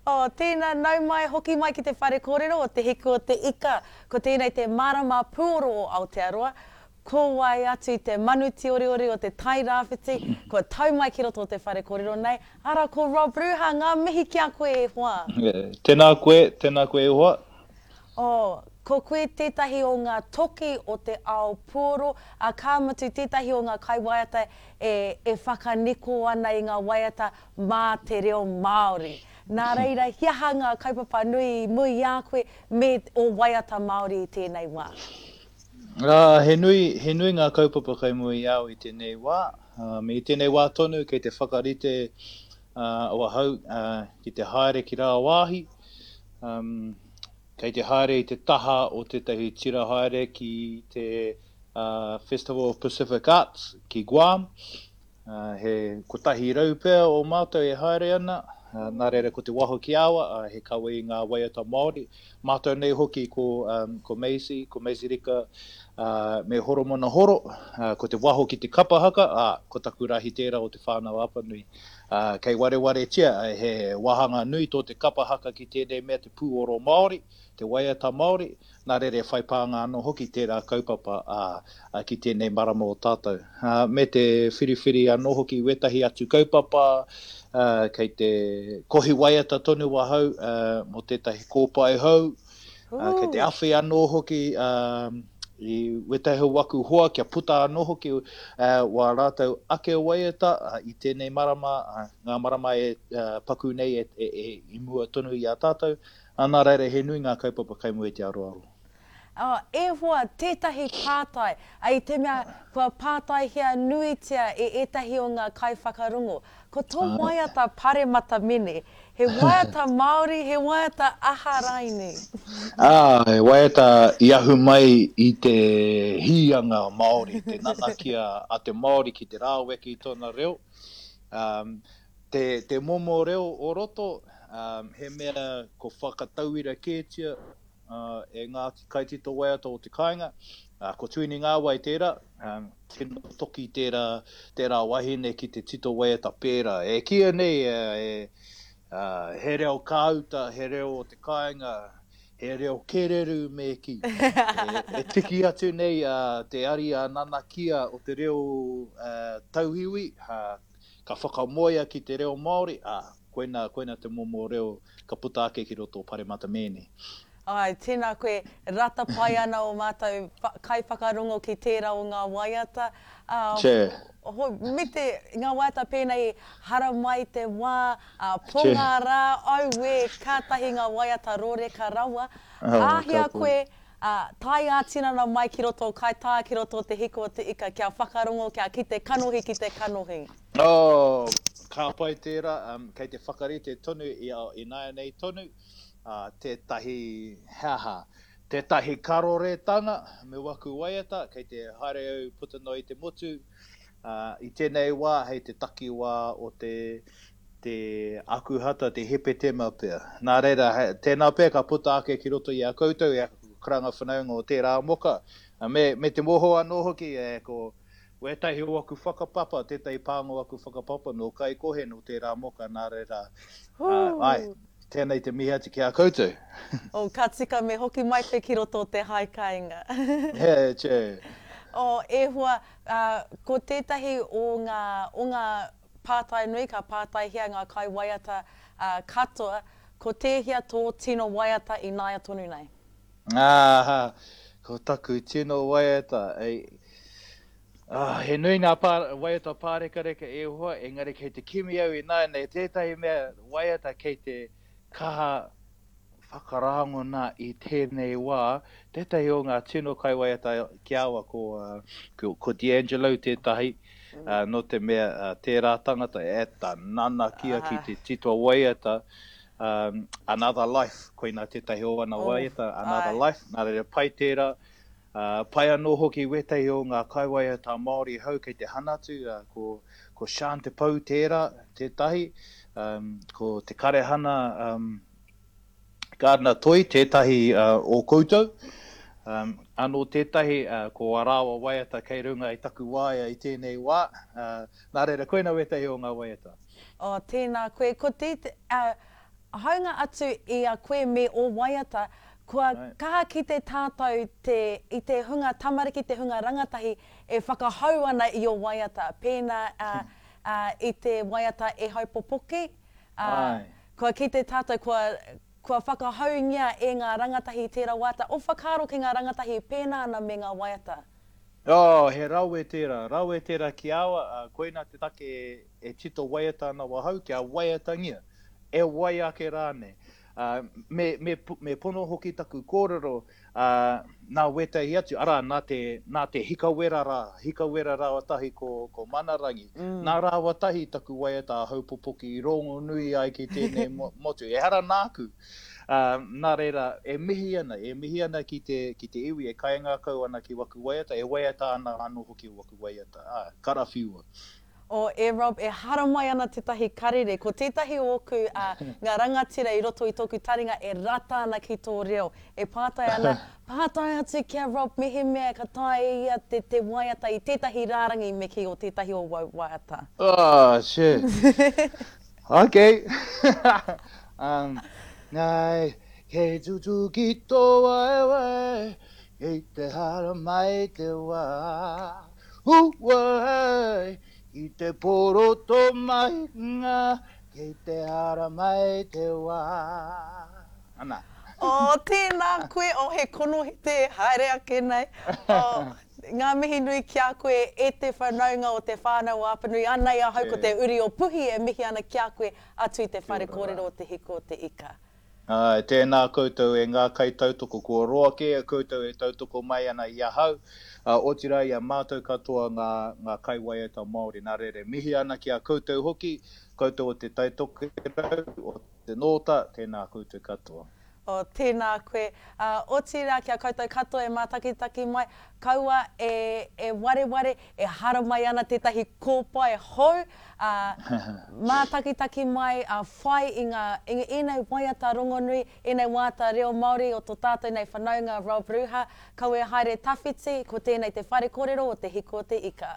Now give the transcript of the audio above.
Oh, tēnā, nau mai, hoki mai ki te whare kōrero o Te Hiku o te Ika. Ko tēnei te marama pūoro o Aotearoa. Ko wai atu i te manu tīoriori o te Tai Rāwhiti, kua tau mai ki roto o te whare kōrero nei, arā ko Rob Ruha, ngā mihi ki a koe e hoa. Tēnā koe, tēnā koe e hoa. Oh, ko koe tētahi o ngā toki o te ao puoro, ā, ka mutu tētahi o ngā kaiwaiata e, e whakaniko ana i ngā waiata mā te reo Māori. Nā reira, he aha ngā kaupapa nui i mua i a koe me ō waiata Māori i tēnei wā? Ā, he nui, he nui ngā kaupapa kei mua i a au i tēnei wā. Me i tēnei wā tonu kei te whakarite ahau ki te haere ki rāwāhi, Kei te haere i te taha o tētahi tira haere ki te Festival of Pacific Arts ki Guam. He 100 pea o mātou e haere ana, nā reira ko te waho ki awa, he kawe i ngā waiata Māori. Mātou nei hoki ko, ko Maisie, ko Maisie Rika me Horomona Horo, ko te waho ki te kapa haka, ā, ko taku rahi tērā o Te Whānau-a-Apanui. Ā, kei warewaretia, he wāhanga nui tō te kapa haka ki tēnei mea te pūoro Māori, te waiata Māori, nā reira e whai pānga anō hoki tērā kaupapa, ā, ki tēnei marama o tātou. Ā, me te whiriwhiri anō hoki i wētahi atu kaupapa, ā, kei te kohi waiata tonu ahau, ā, mō tētahi kōpae hou, Ā, kei te awhi anō hoki i wētahi o waku hoa kia puta anō hoki wā rātou ake waiata i tēnei marama, ngā marama e paku nei i mua tonu i a tātou. Ā, nā reira he nui ngā kaupapa kei mua i te aroaro. Ā, e hoa, tētahi pātai, ā, i te mea kua pātaihia nuitia e ētahi o ngā kaiwhakarongo, ko tō waiata Paremata Mene, He waiata Māori, he waiata aha raini? Ā, he waiata i ahu mai i te hīanga Māori, te nanakia a te Māori ki te rāweke i tōna reo. Ā, te, te momo reo o roto, ā, he mea ko whakatauira kētia, ā, e ngā kaitito waiata o te kāinga, ā, ko Tuini Ngāwai tērā, ā, tino toki tērā, tērā wahine ki te tito waiata pērā. E kīia nei e, ā, he reo kāuta, he reo o te kāinga, he reo kererū me kī. E, e tiki atu nei ā, te ariā nanakia o te reo ā, tauiwi, ā, ka whakamoea ki te reo Māori, ā, koina, koina te momo reo ka puta ake ki roto o Paremata Mēne. Āe, tēnā koe, rata pai ana ō mātou kaiwhakarongo ki tērā o ngā waiata, ā, hoi, me te, ngā waiata pēnei i Haramai te wā, ā, Ponga rā, auē, kātahi ngā waiata rōreka rawa, āhea koe, ā, tae ā-tinana mai ki roto o Kaitā, ki roto o Te Hiku o Te Ika kia whakarongo, kia kite kanohi ki te kanohi. Oh, ka pai tērā, kei te whakarite tonu i ināianei tonu, ā, tētahi, he aha, tētahi karoretanga me waku waiata, kei te haere au puta noa i te motu, ā, i tēnei wā hei te takiwā o te, te Akuhata, te Hepetema pea. Nā reira, he, tēnā pea ka puta ake ki roto i a koutou, i aku karanga whanaunga o tērā moka, me, me te moho anō hoki, e, ko wētahi o aku whakapapa, tētahi pānga o aku whakapapa nō Kaikohe, nō tērā moka, nā reira, ā, āe. Tēnei te mihi atu ki a koutou. Oh, ka tika me hoki mai koe ki roto o te hae kāinga. He, che. Oh, e hoa, ko tētahi o ngā, o ngā pātai nui ka pātaihia ngā kaiwaiata katoa, ko tēhea tō tino waiata ināia tonu nei? Ah, ko taku tino waiata, ei, ah, he nui ngā pā, waiata pārekareka e hoa, engari kei te kimi au ināianei tētahi mea waiata kei te kaha whakarāngona i tēnei wā, tētahi o ngā tino kaiwaiata ki a au ko, ko, ko D'Angelo tētahi, uh, nō te mea uh, tērā tangata e ta nanakia ki te tito waiata, um, Another Life, koina tētahi o ana oh, waiata, Another ai. Life, nā reira pai tērā, Ā, pai anō hoki wētahi o ngā kaiwaiata Māori hou kei te hanatu, ā, ko, ko Sean Te Pou tērā, tētahi, ā, ko Te Karehana, ā, Gardiner Toi tētahi, ā, o koutou. Ā, anō tētahi, ā, ko ā rāua waiata kei runga i taku waea i tēnei wā, ā, nā reira, koina wētahi o ngā waiata. Oh, tēnā koe. Ko te, ā, Hāunga atu i a koe me ō waiata, kua kaha kite tātou te, i te hunga tamariki, te hunga rangatahi e whakahou ana i ō waiata, pēnā i te waiata E Hau Popoki, ā, kua kite tātou kua, kua whakahoungia e ngā rangatahi tērā waiata, ō whakaaro ki ngā rangatahi e pēnā ana me ngā waiata. Oh, he rawe tērā, rawe tērā ki a au, ā, koina te take e tito waiata ana wahau, kia waiatangia, e wai ake rānei. Ā, me, me, me pono hoki taku kōrero, ā, nā wētahi atu, arā, nā te, nā te hikawera rā, hikawera rāua tahi ko, ko Manarangi, nā rāua tahi taku waiata a Haupopoki i rongonui ai ki tēnei motu, ehara nāku. Ā, nā reira, e mihi ana, e mihi ana ki te, ki te iwi e kaingākau ana ki waku waiata, e waiata ana anō hoki waku waiata, ā, karawhiua. O, e Rob, e haramai ana tētahi karere, ko tētahi o ōku, ā, ngā rangatira i roto i tōku taringa e rata ana ki tō reo, e pātai ana, pātai atu ki a Rob mehemea ka taea e ia te, te waiata i tētahi rārangi me kī o tētahi o wau waiata. Oh, shit. Ok. um, nei, kei tutuki tō waewae, kei te haramai te wā. Uai, i te poro tō mahinga, kei te haramai te wā. Ana. Oh, tēnā koe, oh, he konohete e haere ake nei. Oh, Ngā mihi nui ki a koe e te whanaunga o Te Whānau o Apanui, anei ahau ko te uri o Puhi e mihi ana ki a koe atu i te whare kōrero o Te Hiku o Te Ika. Āe, tēnā koutou e ngā kaitautoko, kua roa kē a koutou e tautoko mai ana i ahau, ā, otirā i a mātou katoa ngā, ngā kaiwaiata Māori. Nā reira, e mihi ana ki a koutou hoki, koutou o Te Tai Tokerau, o Te Nōta, tēnā koutou katoa. Oh, tēnā koe. Ā, otirā ki a koutou katoa e mātakitaki mai, kaua e, e wareware, e haramai ana tētahi kōpae hou, ā, mātakitaki mai, ā, whai i ngā, i ēnei waiata rongonui, ēnei waiata reo Māori o tō tātou nei whanaunga Rob Ruha, kaua e haere tawhiti, ko tēnei te whare kōrero o Te Hiku o Te Ika.